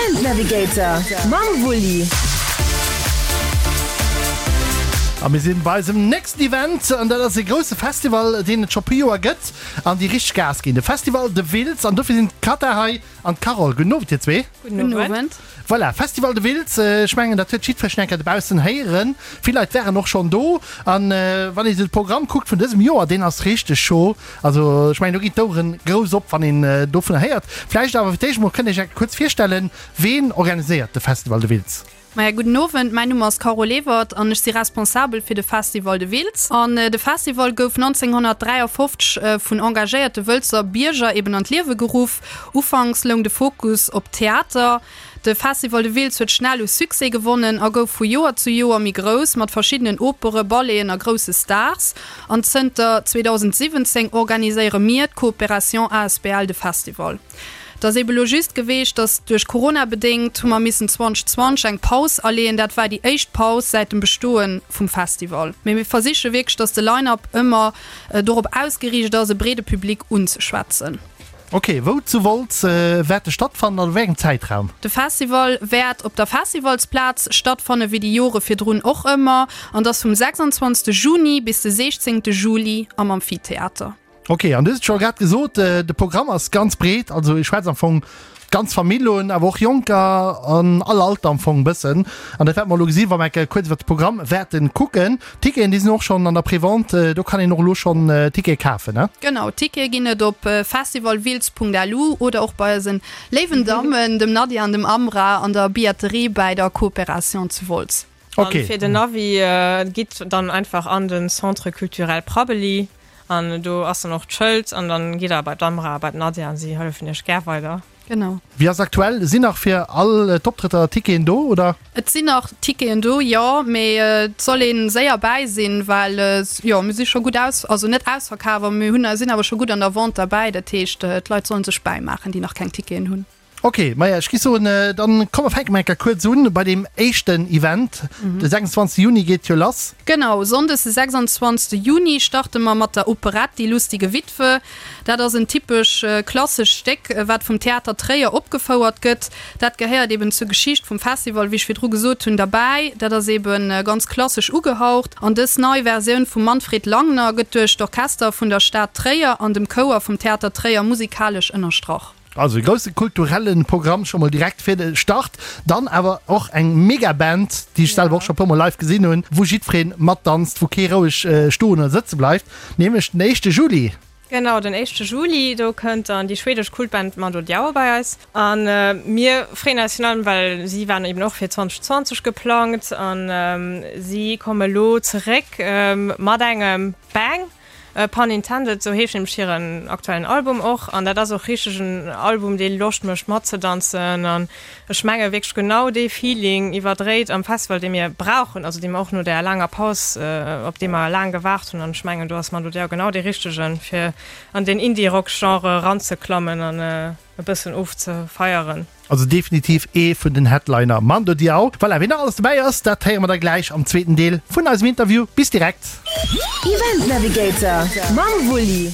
Event Navigator mam Wulli. A mir sinn bei eisem nächsten Event, an dat ass e grousse Festival, deen et scho puer Joer gëtt an déi richteg Gas ginn, de Festival de Wiltz. An dofir sinn d'Cata hei an d'Carole. Gudden Owend, dir zwee. Gudden Owend. Voilà, Festival de Wiltz, ech mengen dat huet jiddwereen eng Kéier dobaussen héieren. Vill Leit waren och schonn do. An wann ee sou de Programm kuckt vun dësem Joer, deen ass richteg scho. Also ech mengen do ginn d'Oueren grouss op wann een dovunner héiert. Vläicht awer fir d'éischt emol, kënnt Dir iech eng Kéier kuerz virstellen, ween organiséiert de Festival de Wiltz? Maja, gudden Owend, mäin Numm ass Carole Ewert an ech si responsabel fir de Festival de Wiltz. An de Festival gouf 1953 vun engagéierte Wëlzer Bierger eben an d'Liewe geruff. Ufanks loung de Fokus op Theater. De Festival de Wiltz huet schnell u Succès gewonnen a gouf vu Joer zu Joer méi grouss, mat verschiddenen Opere, Balleten a grousse Stars. An zënter 2017 organiséiere mir, d'Coopération asbl, de Festival. Et ass ebe lo just geweecht, datt duerch Corona bedéngt hu mer missen 2020 eng Paus aleeën. Dat war déi éischt Paus säit dem Bestoe vum Festival. Mee mir versiche wierklech, datt de Line-Up ëmmer dorop ausgeriicht ass, e breede Public unzeschwätzen. Ok, wou zu Wolz wäert e stattfannen an a wéi engem Zäitraum? De Festival wäert op der Festivalsplaz stattfanne wéi déi Jore virdrun och ëmmer an dass vum 26 Juni bis de 16 Juli am Amphitheater. Ok, an du hues et scho grad gesot, de Programm ass ganz breet, also ech schwätz am Fong d'ganz Famill un, awer och Jonker an all Alter am Fong bëssen. An dat wäerte mer elo gesinn, wa mer eng Kéier kuerz iwwert de Programm wäerte kucken. D'Ticketen, déi sinn och schonn an der Prévente, do kann een och elo schonn Tickete kafen, ne? Genau, Tickete ginn et op festivalwiltz.lu oder och bei eisen léiwen Dammen, dem Nadia an dem Amra, an der Billetterie bäi der Coopération zu Wolz. Ok. An fir den Navi, gitt dann einfach an den Centre Culturel Prabbeli an do ass dann och d'Schëld an dann gitt der bei d'Amra a bei d'Nadia an si hëllefen iech gär weider. Genau. Wéi ass aktuell? Sinn nach fir all d'Optrëtter Ticketen do, oder? Et sinn nach Ticketen do, jo, mee et soll ee séier bäi sinn, well jo, mir si scho gutt aus, also net ausverkaf, awer mir hunn, sinn awer scho gutt an der Vente derbäi. Dat heescht, d'Leit solle sech bäimaachen, déi nach keng Ticketen hunn. Ok, maja, ech gi soen, dann komm mer fänke mol eng Kéier kuerz un bei deem éischten Event. De 26 Juni geet jo lass. Genau, Sonndes de 26 Juni starte mer mat der Operett Die lustige Witwe. Dat ass en typesch klassescht Stéck, wat vum Theater Tréier opgefouert gëtt. Dat gehéiert eben zur Geschicht vum Festival, wéi ech virdru gesot hunn, derbäi. Dat ass eben ganz klassesch ugehaucht. An dës nei Versioun vum Manfred Langner gëtt duerch d'Orchester vun der Stad Tréier an dem Chouer vum Theater Tréier musikalesch ënnerstrach. Also e grousse kulturelle Programm scho mol direkt fir de Start. Dann awer och eng mega Band, déi ech selwer och scho puer mol live gesinn hunn, wou jiddweree matdanzt, wou kee roueg stoen oder sëtze bleift, nämlech den éischte Juli. Genau, den éischte Juli, do kënnt dann déi schwedesch Kultband Mando Diao bei eis. A mir freeën eis virun allem, well si waren eben och fir 2020 geplangt a si komme elo zeréck mat engem Bang. Pun intended, sou heescht nämlech hiren aktuellen Album och. An dat ass och richteg en Album, dee Loscht mécht matzedanzen. An ech menge wierklech genau dee Feeling iwwerdréit am Festival, dee mir brauchen, also dee mer och no där laanger Paus, op dee mer laang gewaart hunn. An ech mengen, do ass Mando Diao genau dee Richtegen, fir an deen Indie-Rock-Genre eranzeklammen an e bëssen ofzefeieren. Also definitiv ee vun den Headliner, Mando Diao. Voilà, wien nach alles dobäi ass, dat héiere mer da gläich am zweeten Deel vun eisem Interview. Bis direkt! Event Navigator mam Wulli.